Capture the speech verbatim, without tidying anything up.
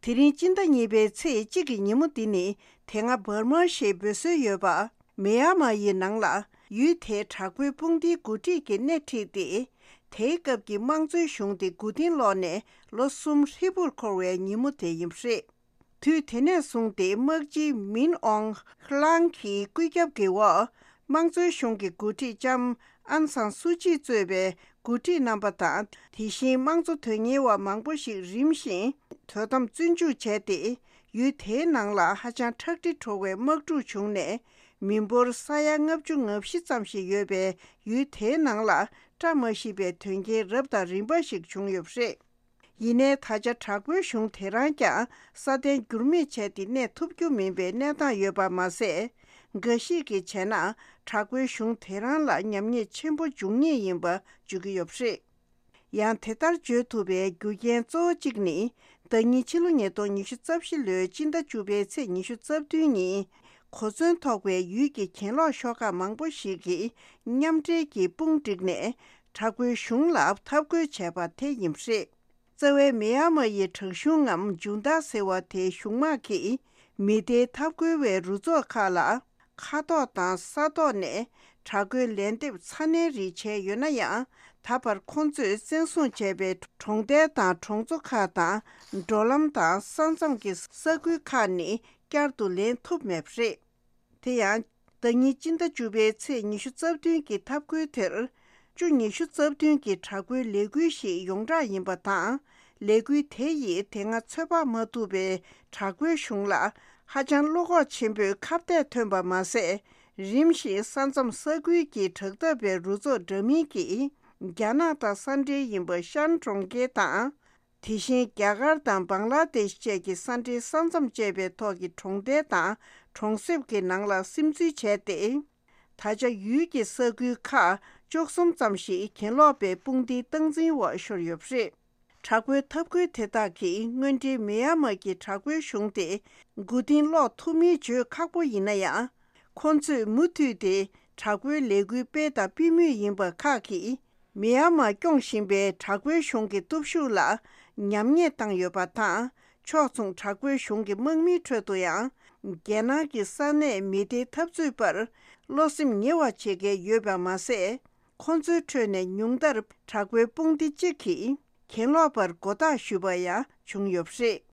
དེ་རིང་སྤྱི་ཟླ་གཉིས་པའི་ཚེས་གཅིག་གི་ཉིན་མོ་འདི་ནི་དེ་སྔ་འབར་མ་ཞེས་འབོད་སྲོལ་ཡོད་པ། མེ་ཡར་མ་ཡི་ནང་ལ་ཡུལ་དེའི་དྲག་པོའི་དཔུང་སྡེའི་འགོ་ཁྲིད་ཀྱིས་སྣེ་ཁྲིད་དེ། དེའི་སྐབས་ཀྱི་དམངས་གཙོའི་གཞུང་དེ་མགོ་རྟིང་སློག་ནས་ལོ་གསུམ་ཧྲིལ་པོར་འཁོར་བའི་ཉིན་མོ་དེ་ཡིན་པ་རེད། དུས་དེ་ནས་བཟུང་སྟེ་དམག་སྤྱི་མིན་ཨོང་ཧྲི་ལང་གི་བཀོད་ཁྱབ་ཀྱི་འོག་དམངས་གཙོའི་གཞུང་གི་འགོ་ཁྲིད་ལྕམ་ཨན་སང་སུ་ཅི་གཙོས་པའི་འགོ་ཁྲིད་རྣམ་པ་དང་། དེ་བཞིན་དམངས་གཙོ་དོན་གཉེར་བ་མང་པོ་ཞིག་རིམ་བཞིན་དོ་དམ་བཙོན་འཇུག་བྱས་ཏེ། ཡུལ་དེའི་ནང་ལ་ཧ་ཅང་ཁྲག་དྲི་བྲོ་བའི་དམག་འཁྲུག་བྱུང་ནས། མི་འབོར་ས་ཡ་ལྔ་བཅུ་ང་བཞི་ཙམ་ཞིག་ཡོད་པའི་ཡུལ་དེའི་ནང་ལ་བཀྲ་མ་ཤིས་པའི་དོན་རྐྱེན་རབ་དང་རིམ་པ་ཞིག་བྱུང་ཡོད་པ་རེད། ཡིན་ནའི་ད་ཆ་དྲག་པོའི་གཞུང་དེ་རང་ཀྱང་སྲ་བརྟན་འགྱུར་མེད་བྱས་ཏེ་གནས་ཐུབ་རྒྱུ་མིན་པའི་གནས་སྟངས་ཡོད་པ་མ་ཟད། འགའ་ཞིག་གིས་བྱས་ན་དྲག་པོའི་གཞུང་དེ་རང་ལ་ཉམས་ཉེས་ཆེན་པོ་འབྱུང་ངེས་ཡིན་པ་བརྗོད་ཀྱི་ཡོད་པ་རེད། ཡང་དེ་ལྟར་བརྗོད་ཐུབ་པའི་རྒྱུ་རྐྱེན་གཙོ་བོ་གཅིག་ནི། ཟླ་ཉིན་ཕྱི་ལོ་ཉིས་སྟོང་ཉི་ཤུ་རྩ་བཞི་ལོའི་སྤྱི་ཟླ་བཅུ་པའི་ཚེས་ཉི་ཤུ་རྩ་བདུན་ཉིན། གོ་མཚོན་ཐོགས་པའི་ཡུལ་གྱི་གྱེན་ལོག་ཤོག་ཁག་མང་པོ་ཞིག་གིས་མཉམ་འབྲེལ་གྱིས་དཔུང་བསྒྲིགས་ནས། དྲག་པོའི་གཞུང་ལ་འཐབ་རྒོལ་བྱས་པ་དེ་ཡིན་པ་རེད། རྩ་བའི་མེ་ཡར་མ་ཡི་དྲག་གཞུང་ངམ་ཇུན་ཏཱ་ཟེར་བ་དེའི་གཞུང་དམག་གིས་མི་སྡེའི་འཐབ་རྒོལ་བའི་རུ་ཚོགས་ཁག་ལ་མཁའ་ཐོག་དང་ས་ཐོག་ནས་དྲག་རྒོལ་ལན་འདེབས་ཚ་ནན་རིགས་བྱས་ཡོད་ན་ཡང་། ད་བར་ཁོང་ཚོས་བཙན་བཟུང་བྱས་པའི་གྲོང་རྡལ་དང་གྲོང་ཚོ་ཁག་དང་། འགྲོ་ལམ་དང་ས་མཚམས་ཀྱི་ས་ཁུལ་ཁག་ནི་བསྐྱར་དུ་ལེན་ཐུབ་མེད་པ་རེད། དེ་ཡང་། ཟླ་ཉིན་སྤྱི་ཟླ་བཅུ་པའི་ཚེས་ཉི་ཤུ་རྩ་བདུན་གྱི་འཐབ་རྒོལ་དེར། བཅུ་ཉི་ཤུ་རྩ་བདུན་གྱི་དྲག་པོའི་ལས་འགུལ་ཞིག་ཡོངས་གྲགས་ཡིན་པ་དང་། ལས་འགུལ་དེ་ཡིས་དེ་སྔ་ཚོད་དཔག་མ་ཐུབ་པའི་དྲག་པོའི་གཞུང་ལ་ཧ་ཅང་བློ་ཁོག་ཆེན་པོས་ཁ་གཏད་ཐོན་པ་མ་ཟད། རིམ་བཞིན་ས་མཚམས་ས་ཁུལ་གྱི་དྲག་འཐབ་པའི་རུ་ཚོགས་འདྲ་མིན་གྱིས་རྒྱ་ནག་དང་ས་འབྲེལ་ཡིན་པ་ཤན་གྲོང་ཁྱེར་དང་། དེ་བཞིན་རྒྱ་གར་དང་བང་ལ་དེཤ་བཅས་ཀྱི་ས་འབྲེལ་ས་མཚམས་བཅད་པའི་ཐོག་གི་གྲོང་རྡལ་དང་གྲོང་གསེབ་ཀྱི་ནང་ལ་སིམ་འཛུལ་བྱས་ཏེ། ད་ཆ་ཡུལ་གྱི་ས་ཁུལ་ཁག་བཅུ་གསུམ་ཙམ་ཞིག་གྱེན་ལོག་པའི་དཔུང་སྡེའི་སྟངས་འཛིན་འོག་ཤོར་ཡོད་པ་རེད། དྲག་པོའི་འཐབ་རྒོལ་དེ་དག་གིས་དངོས་འབྲེལ་མེ་ཡར་མ་གི་དྲག་པོའི་གཞུང་དེ་མགོ་རྟིང་སློག་ཐུབ་མིན་བརྗོད་ཁག་པོ་ཡིན་ན་ཡང་། ཁོང་ཚོས་མུ་མཐུད་དེ་དྲག་པོའི་ལས་འགུལ་སྤེལ་དང་སྤེལ་མུས་ཡིན་པ་ཁག་གིས། མེ་ཡར་མར་སྐྱོང་བཞིན་པའི་དྲག་པོའི་གཞུང་གི་སྟོབས་ཤུགས་ལ་ཉམས་ཉེས་བཏང་ཡོད་པ་དང་། ཕྱོགས་མཚུངས་དྲག་པོའི་གཞུང་གི་དམག་མིའི་ཁྲོད་དུ་ཡང་། རྒྱལ་ནང་གི་ས་གནས་མི་སྡེའི་འཐབ་རྩོད་པར་བློ་སེམས་ཉེ་བ་བྱེད་མཁན་ཡོད་པ་མ་ཟད། ཁོང་ཚོའི་ཁྲོད་ནས་ཉུང་མཐར་དྲག་པོའི་དཔུང་སྡེ་གཅིག་གིས་གྱེན་ལོག་པར་མགོ་བཏགས་ཞུས་པ་ཡང་བྱུང་ཡོད་པ་རེད།